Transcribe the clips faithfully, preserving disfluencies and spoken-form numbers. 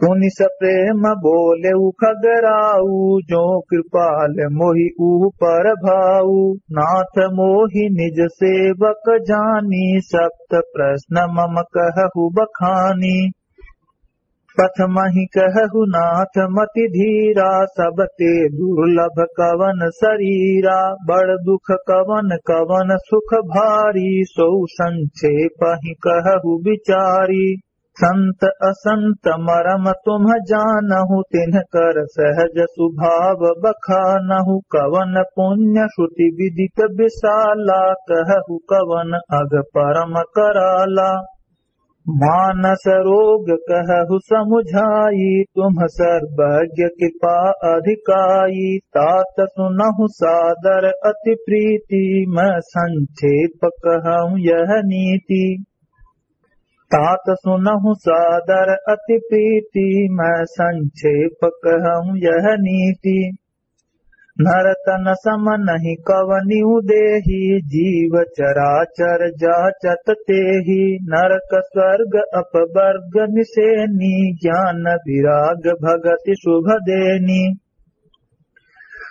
पुनि सप्रेम बोलेउ खगराउ, जो कृपाल मोहि ऊपर भाउ। नाथ मोहि निज सेवक जानी, सप्त प्रश्न मम कहहु बखानी। प्रथमहि कहहु नाथ मति धीरा, सबते दुर्लभ कवन सरीरा। बड़ दुख कवन कवन सुख भारी, सोउ संक्षेपहि कहहु बिचारी। संत असंत मरम तुम जानहु, तिनकर सहज सुभाव बखानहु। कवन पुण्य श्रुति विदित बिसाला, कहहु कवन अघ परम कराला। मानस रोग कहहु समुझाई, तुम सर्वज्ञ कृपा अधिकाई। तात सुनहु सादर अति प्रीति, मैं संक्षेप कहहु यह नीति। तात सुनहु सादर अति प्रीति, मैं संक्षेप कहहु यह नीति। नर तन सम नहीं कवनिउ देही, जीव चराचर जाचत तेही। नरक स्वर्ग अपवर्ग निसेनी, ज्ञान विराग भगति शुभ देनी।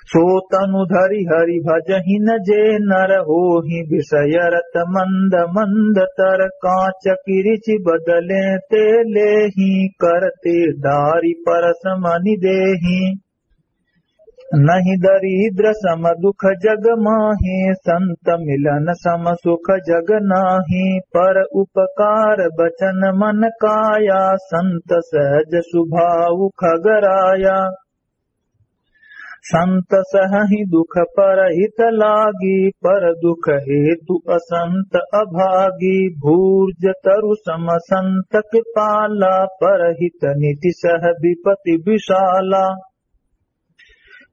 सो तनु धरि हरि भजहि न जे नर, होहि विषय रत मंद मंद तर। कांच किरिचि बदले ते लेहि, करते डारि परस मनि देहि। नहीं दरिद्र सम दुख जग माहे, संत मिलन सम सुख जग नाहे। पर उपकार बचन मन काया, संत सहज सुभाउ खगराया। संत सहहि दुख परहित लागी, पर दुख हेतु असंत अभागी। भूर्ज तरु सम संत कृपाला, परहित नीति सह विपति बिसाला।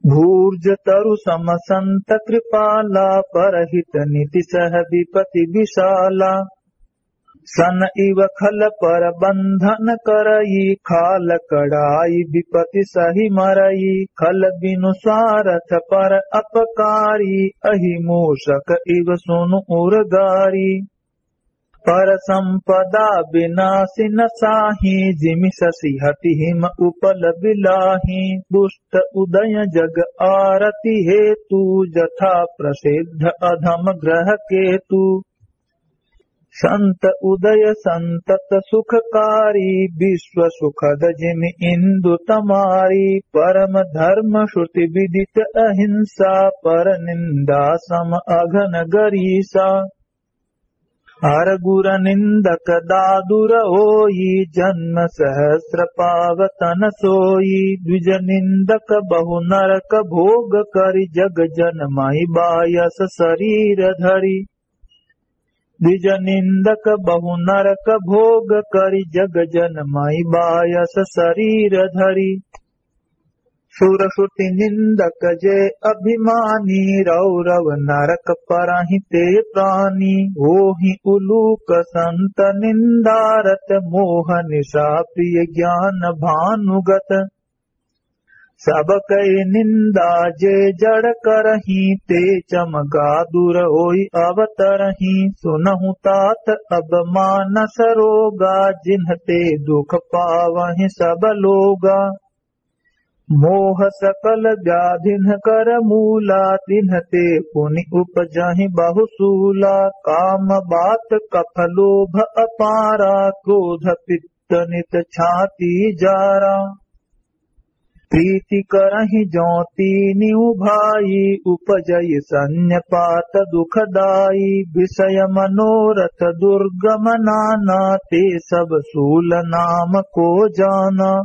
भूर्ज तरु सम संत कृपाला, परहित नीति सह विपति बिसाला। सन इव खल पर बंधन करई, खाल कड़ाई विपति सहि मरई। खल बिनु सारथ पर अपकारी, अहि मूषक इव सुनु उर गारी। पर संपदा बिनासी न साही, जिमि ससि हति हिम उपल बिलाही। दुष्ट उदय जग आरति हेतु, जथा प्रसिद्ध अधम ग्रह केतु। संत उदय संतत सुखकारी, विश्व सुखद जिमि इंदु तमारी। परम धर्म श्रुति विदित अहिंसा, पर निंदा सम अघन गरीसा। अर गुर निंदक दादुर होई, जन्म सहस्र पाव तन सोई। द्विज निंदक बहु नरक भोग करि, जग जन महि बायस सरीर धरी। द्विज निंदक बहु नरक भोग करि, जग जन महि बायस सरीर धरी। सुर श्रुति निंदक जे अभिमानी, रौरव नरक परहिं ते प्रानी। ओहि उलूक संत निंदारत, मोह निशा प्रिय ज्ञान भानुगत। सब कहि निंदा जे जड़ करहिं, ते चमगा दूर होइ अवतरहिं। सुनहु तात अब मानस रोगा, जिनते दुख पावहिं सब लोगा। मोह सकल व्याधिन कर मूला, तिन्हते पुनि उपजहिं बहु सूला। काम बात कफ लोभ अपारा, क्रोध पित्त नित छाती जारा। प्रीति करहिं जौं तीनिउ भाई, उपजइ सन्निपात दुखदाई। विषय मनोरथ दुर्गम नाना, ते सब सूल नाम को जाना।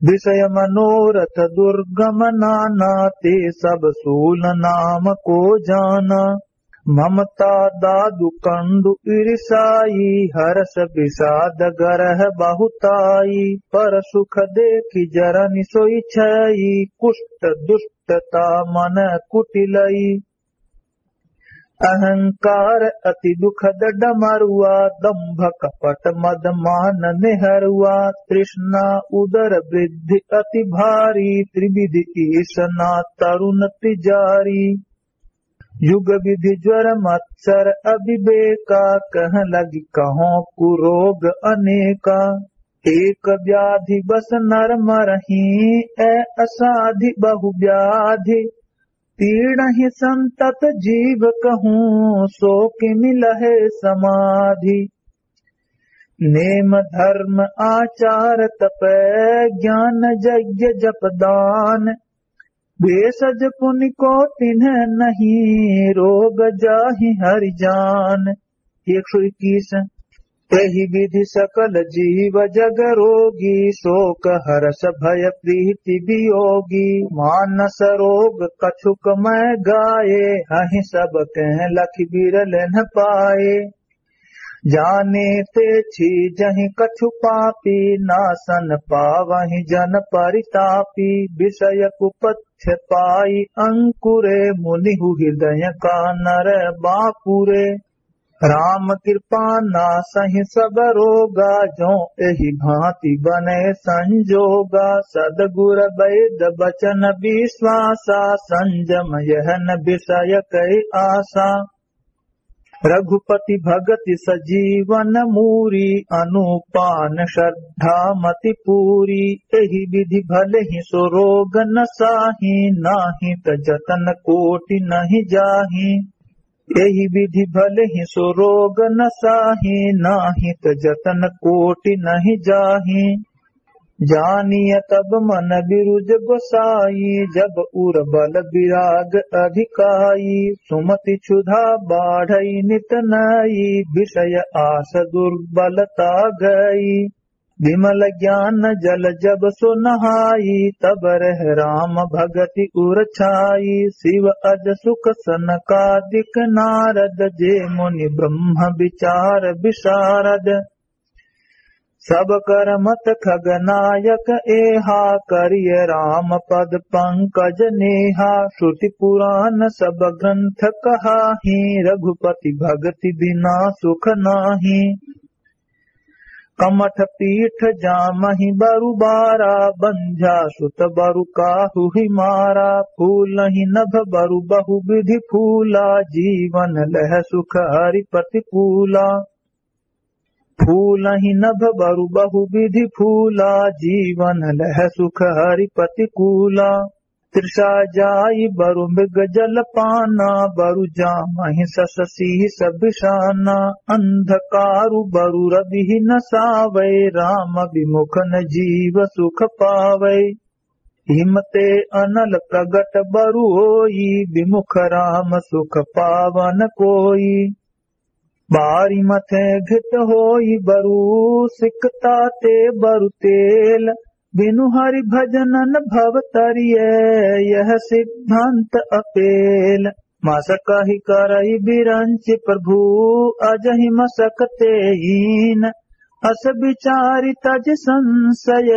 विषय मनोरथ दुर्गम नाना, ते सब सूल नाम को जाना। ममता दादु कंडु ईर्षाई, हरष विषाद गरह बहुताई। पर सुख देखि जरनि सोइ छई, कुष्ट दुष्टता मन कुटिलई। अहंकार अति दुखद डमरुआ, दंभ कपट मद मान नेहरुआ। तृष्णा उदर वृद्धि अति भारी, त्रिविध ईसना तरुन तिजारी। युग विधि ज्वर मत्सर अविवेका, कह लगि कहों कुरोग अनेका। एक व्याधि बस नर मरही, ए असाधि बहु व्याधि। पीड़हि संतत जीव कहूँ, सो किमि लहे समाधि। नेम धर्म आचार तप, ज्ञान यज्ञ जप दान। भेषज पुनि को तिन्ह नहीं, रोग जाहि हरि जान। एक सौ इक्कीस। तेहि विधि सकल जीव जग रोगी, शोक हरष भय प्रीति वियोगी। मानस रोग कछुक मय गाए, हहि सब कह लखि बिरल न पाए। जाने ते छी जहि कछु पापी, नासन पावहि जन परितापी। विषय कुपथ्य पाई अंकुरे, मुनिहु हृदय कानर बापुरे। राम कृपा नासहि सब रोगा, जो एहि भांति बने संजोगा। सदगुर वैद वचन विश्वासा, संजम यह न विषय कै आसा। रघुपति भगति सजीवन मूरी, अनुपान श्रद्धा मति पूरी। एहि विधि भलहि सो रोग नसाही, नाहि त जतन कोटि नहि जाही। एहि विधि भलहि सो रोग नसाही, नाहि त जतन कोटि नहि जाही। जानिय तब मन बिरुज गोसाई, जब उर बल विराग अधिकाई। सुमति क्षुधा बाढ़ई नित नई, विषय आस दुर्बलता गई। विमल ज्ञान जल जब सो नहाई, तब रह राम भगति उर छाई। शिव अज सुख सनकादिक नारद, जे मुनि ब्रह्म विचार विशारद। सब कर मत खगनायक एहा, करिय राम पद पंकज नेहा। श्रुति पुराण सब ग्रंथ कहाही, रघुपति भगति बिना सुख नाही। कमठ पीठ जामहि बरु बारा, बंझा सुत बरु काहुहि मारा। फूलहि नभ बरु बहु विधि फूला, जीवन लह सुख हरि प्रतिकूला। फूलहि नभ बरु बहु विधि फूला, जीवन लह सुख हरि प्रतिकूला। तृषा जाई बरु मृग जल पाना, बरु जामहि सस सीस बिसाना। अंधकारु बरु रविहि न सावै, राम विमुख न जीव सुख पावै। हिमते अनल प्रगट बरु होई, विमुख राम सुख पावन कोई। बारि मथे घृत होई बरु, सिकता ते बरु तेल। बिनु हरि भजन न भव तरिये, यह सिद्धांत अपेल। मसकहि करइ बिरंचि प्रभु, अजहि मसक ते हीन। अस बिचारि तजि संसय,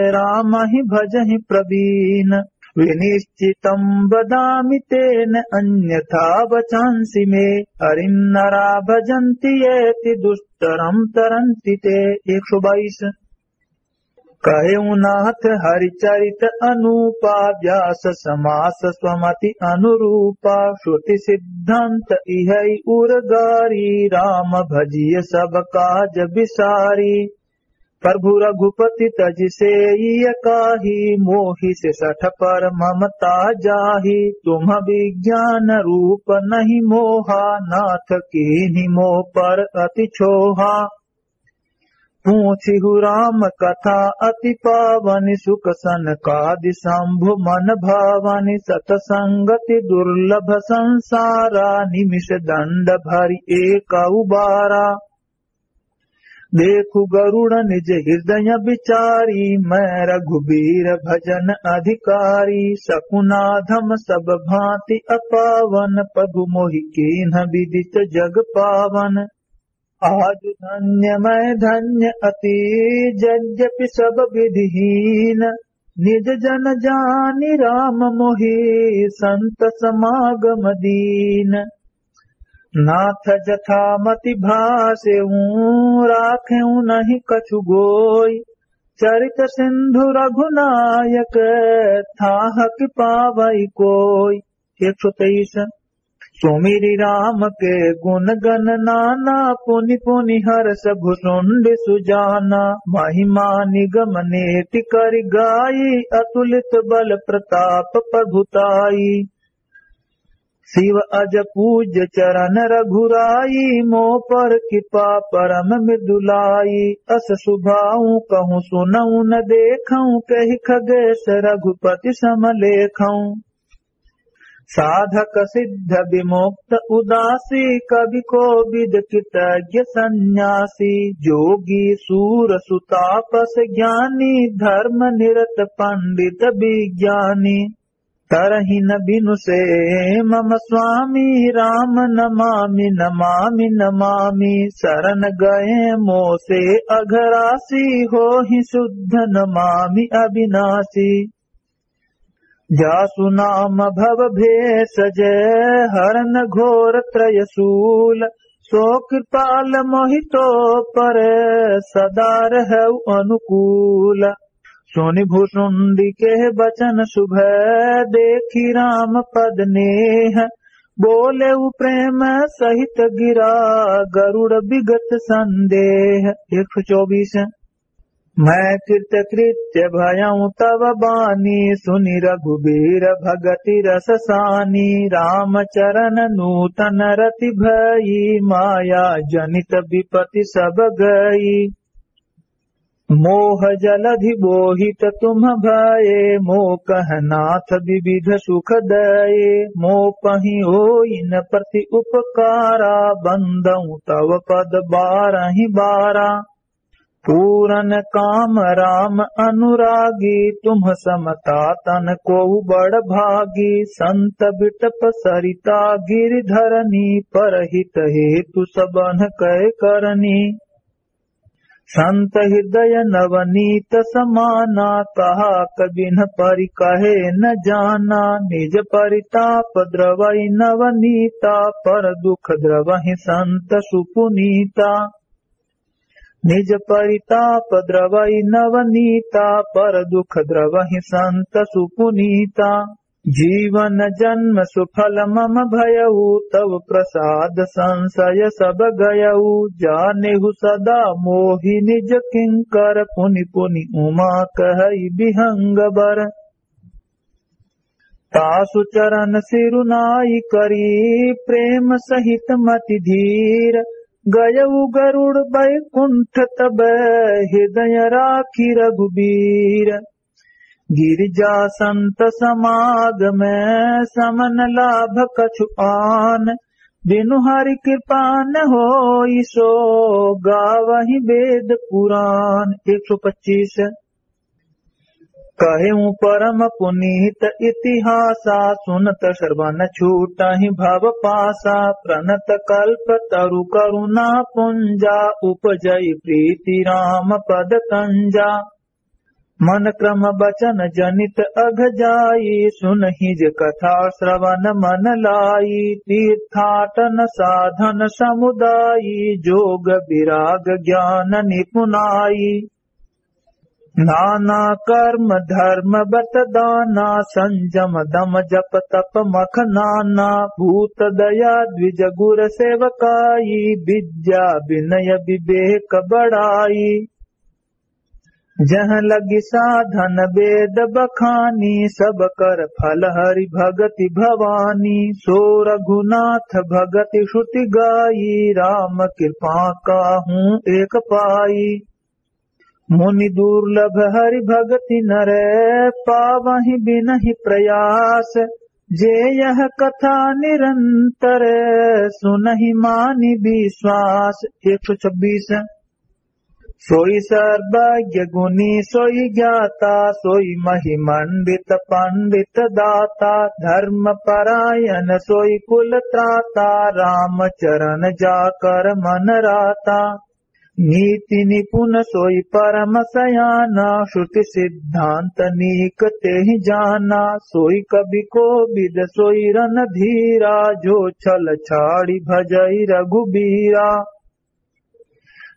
रामहि भजहि प्रवीन। विनिश्चितं वदामि तेन, अन्यथा वचांसि मे। हरिं नरा भजन्ति येति, दुस्तरं तरन्ति ते। एक सौ बाईस। कहेउ नाथ हरिचरित अनूपा, व्यास समास स्वमति अनुरूपा। श्रुति सिद्धांत इहइ उर गारी, राम भजिय सब काज बिसारी। प्रभु रघुपति तजि सेइ एकाही, मोहिसि सठ पर ममता जाही। तुम विज्ञान रूप नहीं मोहा, नाथ कीन्ही मोह पर अति छोहा। पूछिहु राम कथा अति पावनि, सुख सनकादि शंभु मन भावनि। सत संगति दुर्लभ संसारा, निमिष दंड भरि एकउ बारा। देखु गरुड़ निज हृदय बिचारी, मैं रघुबीर भजन अधिकारी। सकुनाधम सब भांति अपावन, प्रभु मोहि कीन्ह विदित जग पावन। आज धन्य मैं धन्य अति, यद्यपि सब विधिहीन। निज जन जानि राम मोहि, संत समागम दीन। नाथ जथामति भासेउ, राखेउ नहीं कछु गोई। चरित सिंधु रघुनायक, थाह कि पावइ कोई। एक सौ तेईस। सुमिरि राम के गुन गन नाना, पुनि पुनि हरष भुसुंडि सुजाना। महिमा निगम नेति करि गाई, अतुलित बल प्रताप प्रभु ताई। शिव अज पूज्य चरण रघुराई, मो पर कृपा परम मृदुलाई। अस सुभाऊ कहूँ सुनऊ न देखऊ, कहि खगेश रघुपति सम लेखऊ। साधक सिद्ध विमुक्त उदासी, कवि कोविद कृतज्ञ सन्यासी। जोगी सूर सुतापस ज्ञानी, धर्म निरत पंडित विज्ञानी। तरहिन बिनु से मम स्वामी, राम नमामि नमामि नमामि। शरण गए मोसे अघरासी, होहि शुद्ध नमामि अविनाशी। जासु नाम भव भेषज हरन घोर त्रय शूल, सो कृपाल मोहि तो पर सदा रहउ अनुकूल। सुनि भुसुंडी के बचन सुभ, देखि राम पद नेह, बोलेउ प्रेम सहित गिरा गरुड़ विगत संदेह। एक सौ चौबीस। मैं कृतकृत्य भयउ तव बानी, सुनि रघुबीर भगति रस सानी। राम चरण नूतन रति भई, माया जनित विपति सब गई। मोह जलधि मोहित तुम भये, मोकह नाथ विविध सुख दये। मोपहिं होइन प्रति उपकारा, बंदउ तव पद बारहिं बारा। पूरन काम राम अनुरागी, तुम सम ता तन कोउ बड़ भागी। संत बिटप सरिता गिरि धरनी, परहित हेतु सबन्ह कहे करनी। संत हृदय नवनीत समाना, कहा कबिन्ह परि कहे न जाना। निज परिताप द्रवइ नवनीता, पर दुख द्रवहिं संत सुपुनीता। निज परिताप द्रवइ नवनीता, पर दुख द्रवहिं संत सुपुनीता। जीवन जन्म सुफल मम भयउ, तव प्रसाद संशय सब गयउ। जानेहु सदा मोहि निज किंकर, पुनि पुनि उमा कहइ विहंगबर। तासु चरण सिरुनाई करी, प्रेम सहित मति धीर। गयउ गरुड़ बैकुंठ तब, हृदय राखि रघुबीर। गिरिजा संत समागम, समन लाभ कछु आन। बिनु हरि कृपा न होई, सो गावहिं वेद पुरान। एक सौ पच्चीस। कहेउ परम पुनीत इतिहासा, सुनत श्रवण छूटहिं भव पासा। प्रणत कल्प तरु करुणा पुंजा, उपजइ प्रीति राम पद कंजा। मन क्रम बचन जनित अघ जाई, सुनहिं जे कथा श्रवण मन लाई। तीर्थाटन साधन समुदाई, जोग विराग ज्ञान निपुनाई। नाना कर्म धर्म बत दाना, संजम दम जप तप मख नाना। भूत दया द्विज गुर सेवकाई, विद्या विनय विवेक बड़ाई। जह लगी साधन वेद बखानी, सब कर फल हरि भगति भवानी। सो रघुनाथ भगति श्रुति गाई, राम कृपा काहू एक पाई। मुनि दुर्लभ हरि भगति नर, पावहिं बिनहिं प्रयास। जे यह कथा निरंतर, सुनहिं मानि विश्वास। एक सौ छब्बीस। सोई सर्वज्ञ गुणी सोई ज्ञाता, सोई महि मंडित पंडित दाता। धर्म परायण सोई कुल त्राता, राम चरण जाकर मन राता। नीति निपुण सोई परम सयाना, श्रुति सिद्धांत नीक तेहि जाना। सोई कवि कोविद सोई रणधीरा, जो छल छाड़ी भजई रघुबीरा।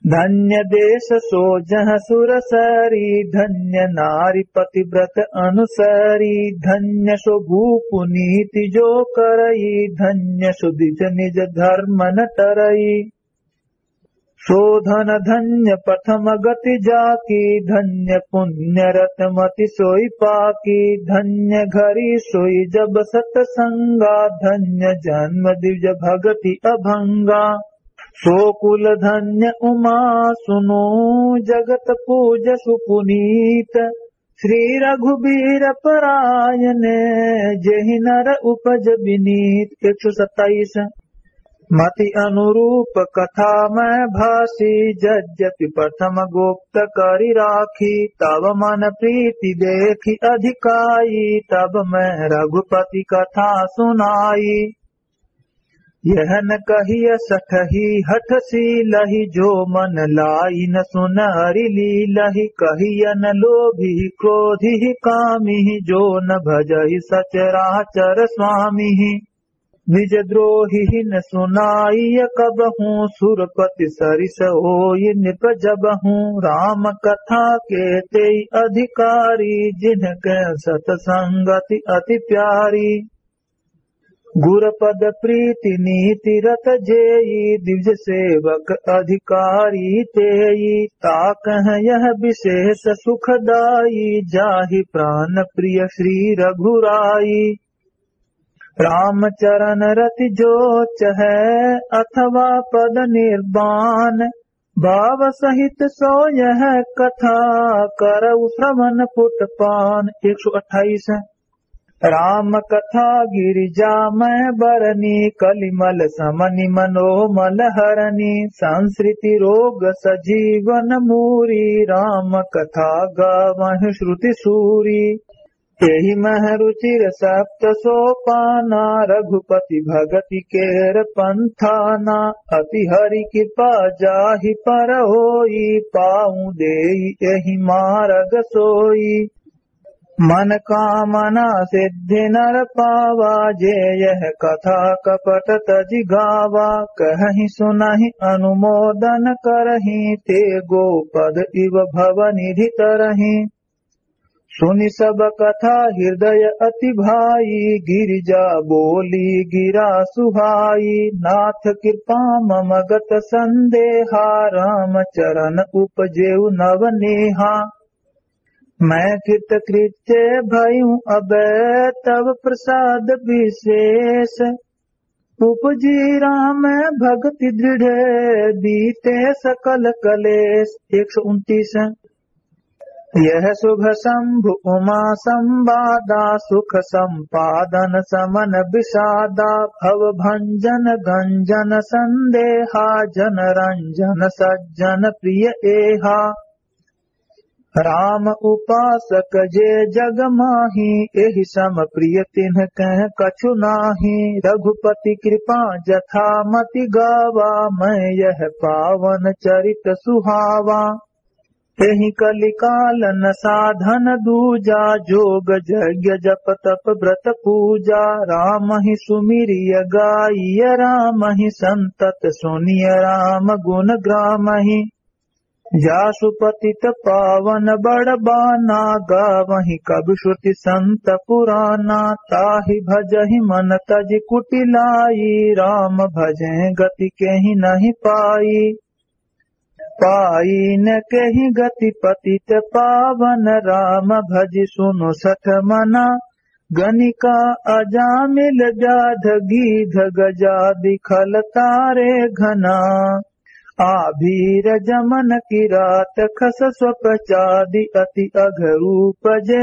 धन्य देश सो जह सुर सरी, धन्य नारी पतिव्रत अनुसरी, धन्य सो भूप नीति जो करई, धन्य सो द्विज निज धर्म न टरई। सो धन धन्य प्रथम गति जाकी, धन्य पुण्य रत मति सोई पाकी। धन्य घरी सोई जब सतसंगा, धन्य जन्म द्विज भगति अभंगा। सो कुल धन्य उमा सुनो, जगत पूज सुपुनीत। श्री रघुबीर परायन, जेहि नर उपज विनीत। एक सौ सत्ताईस। मति अनुरूप कथा मैं भासी, यद्यपि प्रथम गुप्त करि राखी। तब मन प्रीति देखि अधिकाई, तब मैं रघुपति कथा सुनाई। यह न कहिय सठही हठशीलहि, जो मन लाइ न सुन हरि लीलहि। कहिय न लोभी क्रोधी कामी, जो न भजहि सचराचर स्वामी। निज द्रोही न सुनाइय कबहूँ, सुरपति सरिस होई नृप जबहूँ। राम कथा के तेई अधिकारी, जिनके सत संगति अति प्यारी। गुरपद प्रीति नीति रत जेई, द्विज सेवक अधिकारी तेई। ताकह यह विशेष सुखदाई, जाहि प्रान प्रिय श्री रघुराई। राम चरण रति जो चहै, अथवा पद निर्वाण। भाव सहित सो यह कथा, करउ श्रवण पुट पान। एक सौ अट्ठाईस। राम कथा गिरिजा मैं बरनी, कलिमल समनि मनोमल हरनी। संसृति रोग सजीवन मूरी, राम कथा गावहि श्रुति सूरी। एहि मह रुचिर सप्त सोपाना, रघुपति भगति केर पंथाना। अति हरि कृपा जाहि पर होई, पाउँ देई एहि मारग सोई। मन कामना सिद्धि नर पावा, जे यह कथा कपट तजि गावा। कहहि सुनहि अनुमोदन करहि, ते गोपद इव भव निधि तरहि। सुनि सब कथा हृदय अति भाई, गिरिजा बोली गिरा सुहाई। नाथ कृपा मम गत संदेहा, राम चरण उपजेउ नव नेहा। मैं कृतकृत्य भयूँ अब तव प्रसाद विशेष। उपजी राम भगति दृढ़ बीते सकल कलेश। एक सौ उनतीस। यह शुभ शंभु उमा संवादा, सुख संपादन समन विषादा। भव भंजन गंजन संदेहा, जन रंजन सज्जन प्रिय एहा। राम उपासक जे जग माही, एहि सम प्रिय तिन्ह कह कछु नाही। रघुपति कृपा जथा मति गावा, मैं यह पावन चरित सुहावा। एहि कलिकाल न साधन दूजा, जोग जग्य जप तप ब्रत पूजा। रामहि सुमिरिय गाइय रामहि, संतत सुनिय राम गुन ग्रामहि। जासु पतित पावन बड़ बाना, गावहिं कबि श्रुति संत पुराना। ताहि भजहिं मन तजि कुटिलाई, राम भजें गति केहि नहि पाई। पाई न केहि गति पतित पावन, राम भजि सुनु सठ मना। गनिका अजामिल व्याध गीध गजादि खल तारे घना। आभीर जमन किरात खस स्वप चादि अति अघ रूप जे।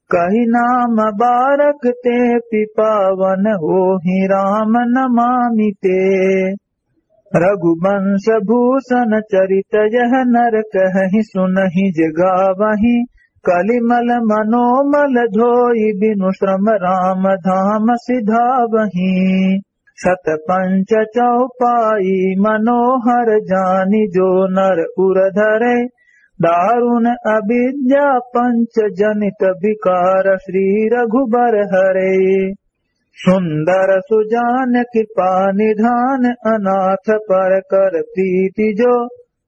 कहि नाम बारक तेपि पावन होहि राम नमामि ते। रघुवंश भूषण चरित यह नर कहहिं सुनहिं जे गावहिं। कलिमल मनोमल धोई बिनु श्रम राम धाम सिधावहिं। सत पंच चौपाई मनोहर जानि जो नर उर धरे। दारुण अविद्या पंच जनित विकार श्री रघुबर हरे। सुंदर सुजान कृपा निधान अनाथ पर कर प्रीति जो।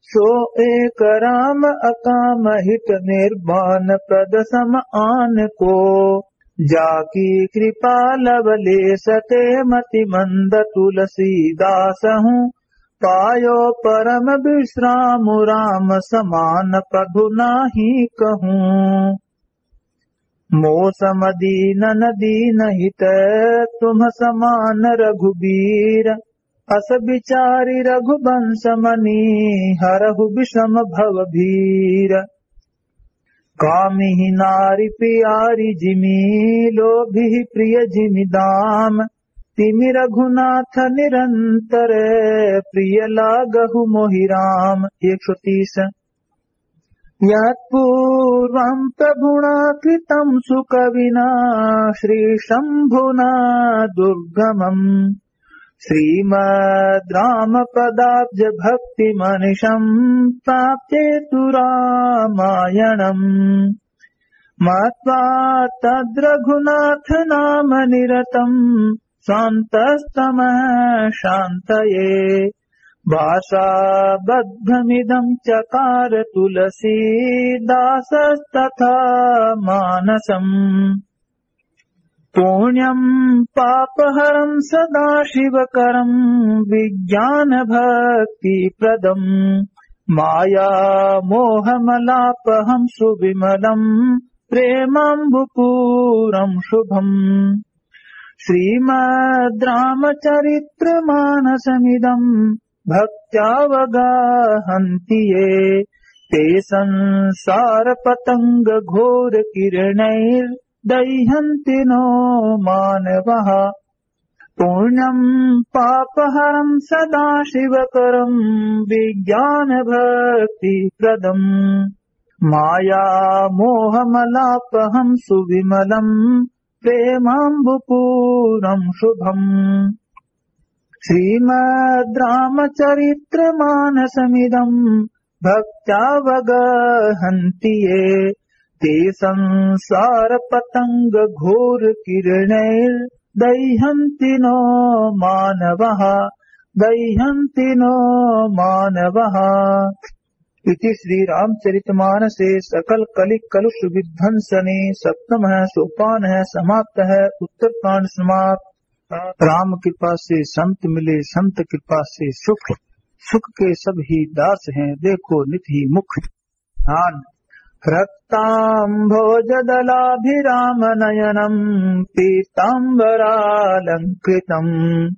सो एक राम अकाम हित निर्वाण प्रद सम आन को। जाकी कृपा लवलेस ते मति मंद तुलसीदास हूँ। पायो परम विश्राम राम समान प्रभु नाहीं कहूँ। मो सम दीनन दीन हित तुम समान रघुबीर। अस विचारि रघुवंश मनि हरहु विषम भव भीर। कामिहि नारि पियारि जिमि लोभिहि प्रिय जिमि दाम। तिमि रघुनाथ निरंतर प्रिय लागहु मोहि राम। एक सौ तीस। यत्पूर्वं प्रभुणा कृतं सुकविना श्रीशंभुना दुर्गमम्। श्रीमद् रामपदाब्ज भक्ति मनिषं प्राप्ते तु रामायणम्। मत्वा तद्रघुनाथ नाम निरतं स्वान्तस्तमः शान्तये। भाषाबद्धमिदं चकार तुलसीदासस्तथा मानसम्। पुण्यं पापहरं सदाशिवकरं विज्ञानभक्तिप्रदम्। मायामोहमलापहं सुविमलं प्रेमाम्बुपूरं शुभम्। श्रीमद् रामचरित्र मानसमिदं भक्त्यावगाहन्ति ये। ते संसार पतंग घोर किरणैर्दह्यन्ति नो मानवः। पुण्यं पापहरं सदाशिवकरं विज्ञानभक्तिप्रदम्। मायामोहमलापहं सुविमलं प्रेमाम्बुपूरं शुभम्। श्रीमद् रामचरित्र मानसमिदं भक्त्यावगाहन्ति ये। ते संसार पतंग घोर किरणैर्दह्यन्ति नो मानवः। दह्यन्ति नो मानवः। इति श्री रामचरितमानसे सकल कलि कलुष विध्वंसने सप्तमः सोपानः समाप्तः। उत्तरकांड समाप्त। राम कृपा से संत मिले, संत कृपा से सुख। सुख के सब ही दास हैं, देखो नित ही मुख। ध्यान। रक्ताम्भोजदलाभिरामनयनं पीताम्बरालंकृतम्।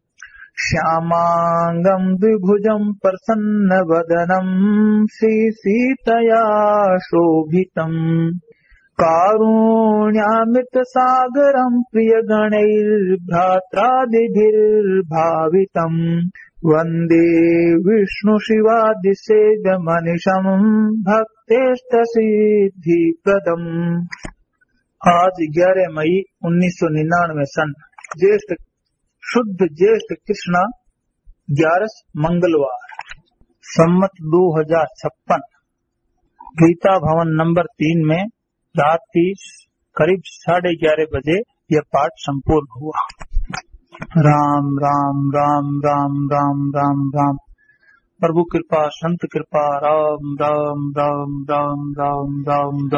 श्यामांगं द्विभुजं प्रसन्नवदनं श्रीसीतया शोभितम्। कारुण्यामृतसागरं प्रियगणैर्भ्रात्रादिभिर्भावितम्। वन्दे विष्णुशिवादिसेव्यमनिशं भक्तेष्टसिद्धिप्रदम्। आज ग्यारह मई उन्नीस सौ निन्यानवे सन, ज्येष्ठ, शुद्ध ज्येष्ठ कृष्णा ग्यारस मंगलवार, संवत दो हजार छप्पन, गीता भवन नंबर तीन में रात की करीब साढ़े ग्यारह बजे यह पाठ संपूर्ण हुआ। राम, राम, राम। प्रभु कृपा, संत कृपा, राम, राम, राम।